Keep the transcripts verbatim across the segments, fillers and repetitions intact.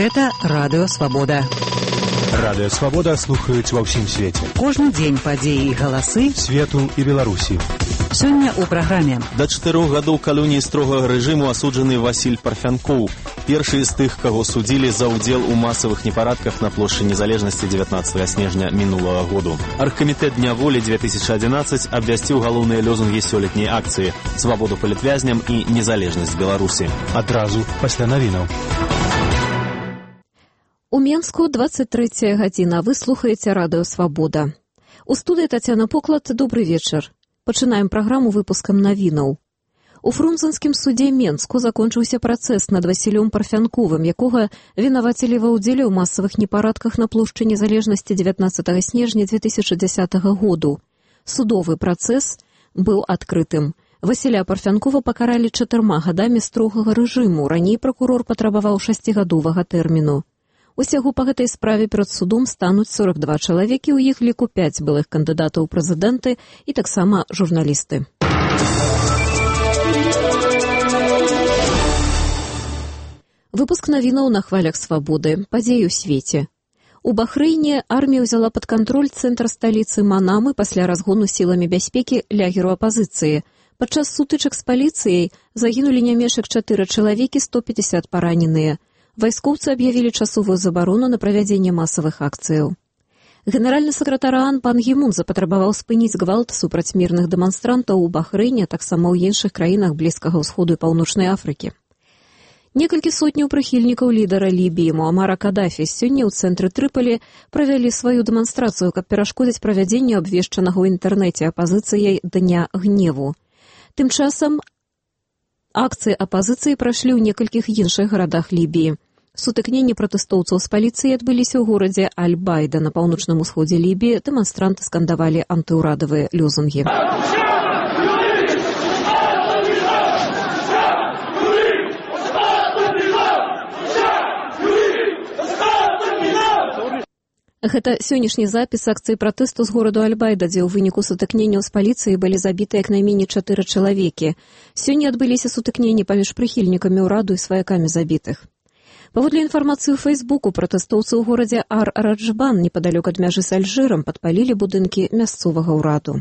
Гэта Радыё Свабода. Радыё Свабода слухаюць ва ўсім свеце. Кожны дзень падзеі і галасы свету і Беларусі. Сёння ў праграме. Да чатырох гадоў калоніі строгага рэжыму асуджаны Васіль Парфянкоў. Першы з тых, каго судзілі за ўдзел у масавых непарадках на плошчы Незалежнасці дзевятнаццатага снежня мінулага году. Аргкамітэт Дня волі две тысячи одиннадцать абвясціў галоўныя лёзунгі сёлетняй акцыі: свабоду палітвязням і незалежнасць Беларусі. Адразу пасля навінаў. У Менску двадцать третья гадзіна. Вы слухаеце Радыё Свабода. У студыі Тацяна Поклад. Добры вечар. Пачынаем праграму выпускам навінаў. У Фрунзенскім судзе Менску закончыўся працэс над Васілём Парфянковым, якога вінавацілі ва ўдзеле ў масавых непарадках на плошчы Незалежнасці дзевятнаццатага снежня две тысячи десятого году. Судовы працэс быў адкрытым. Васіля Парфянкова пакаралі чатырма гадамі строгага рэжыму. Раней пракурор патрабаваў шасцігадовага тэрміну. Усяго па гэтай справе перад судом стануць сорок два чалавекі, у іх ліку пяць былых кандыдатаў у прэзідэнты і таксама журналісты. Выпуск навінаў на хвалях свабоды. Падзеі ў свеце. У Бахрэйне армія ўзяла пад кантроль цэнтр сталіцы Манамы пасля разгону сіламі бяспекі лягеру апазіцыі. Падчас сутычак з паліцыяй загінулі не менш як чатыры чалавекі, сто пятьдесят параненыя. Вайскоўцы аб'явілі часовую забарону на правядзенне масавых акцыяў. Генеральны сакратар ААН пан Гі Мун запатрабаваў спыніць гвалт супраць мірных дэманстрантаў у Бахрэйне, таксама ў іншых краінах Блізкага ўсходу і Паўночнай Афрыкі. Некалькі сотняў прыхільнікаў лідара Лібіі Муамара Кадафі сёння ў цэнтры Трыполі правялі сваю дэманстрацыю, каб перашкодзіць правядзенню абвешчанага ў інтэрнэце апазіцыяй Дня гневу. Тым часам акцыі апазіцыі прайшлі ў некалькіх іншых гарадах Лібіі. Сутыкненні пратэстоўцаў з паліцыяй адбыліся ў горадзе Аль-Байда на паўночным усходзе Лібіі. Дэманстранты скандавалі антыўрадавыя лёзунгі. Гэта сённяшні запіс акцыі пратэсту з гораду Аль-Байда, дзе ў выніку сутыкненняў з паліцыяй былі забіты як найменей чатыры чалавекі. Сёння адбыліся сутыкненні паміж прыхільнікамі ўраду і сваякамі забітых. Паводле інфармацыі ў Фэйсбуку, пратэстоўцы ў горадзе Ар-Раджбан, непадалёк ад мяжы з Альжырам, падпалілі будынкі мясцовага ўраду.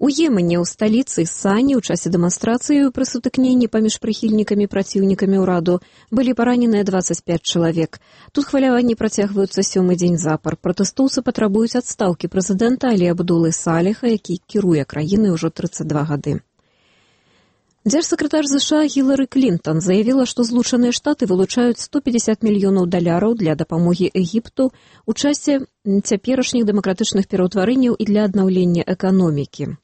У Йемене ў сталіцы Сані ў часе дэманстрацыі пры сутыкненні паміж прыхільнікамі і праціўнікамі ўраду былі параненыя двадцать пять чалавек. Тут хваляванні працягваюцца сёмы дзень запар. Пратэстоўцы патрабуюць адстаўкі прэзідэнта Алі Абдулы Салеха, які кіруе краінай ужо тридцать два гады. Дзяржсакратар ЗША Гілары Клінтон заявіла, што Злучаныя Штаты вылучаюць сто пятьдесят мільёнаў даляраў для дапамогі Егіпту ў часе цяперашніх дэмакратычных пераўтварэнняў і для аднаўлення эканомікі.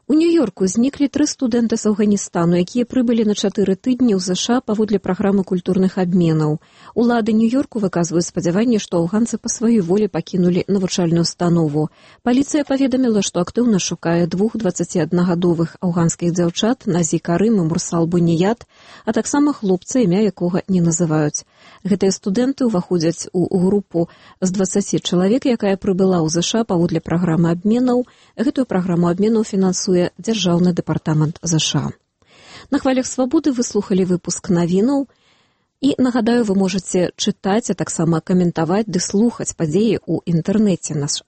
У Нью-Йорку зніклі тры студэнты з Афганістану, якія прыбылі на чатыры тыдні ў ЗША паводле праграмы культурных абменаў. Улады Нью-Йорку выказваюць спадзяванне, што афганцы па сваёй волі пакінулі навучальную установу. Паліцыя паведаміла, што актыўна шукае двух дваццаціаднагадовых афганскіх дзяўчат Назі Карым і Мурсал Буніят, а таксама хлопца, імя якога не называюць. Гэтыя студэнты ўваходзяць у групу з дваццаці чалавек, якая прыбыла ў ЗША паводле праграмы абменаў. Гэтую праграму абменаў фінансуе Дзяржаўны дэпартамент ЗША. На хвалях свабоды вы слухалі выпуск навінаў. І, нагадаю, вы можаце чытаць, а таксама каментаваць ды слухаць падзеі ў інтэрнэце. Наш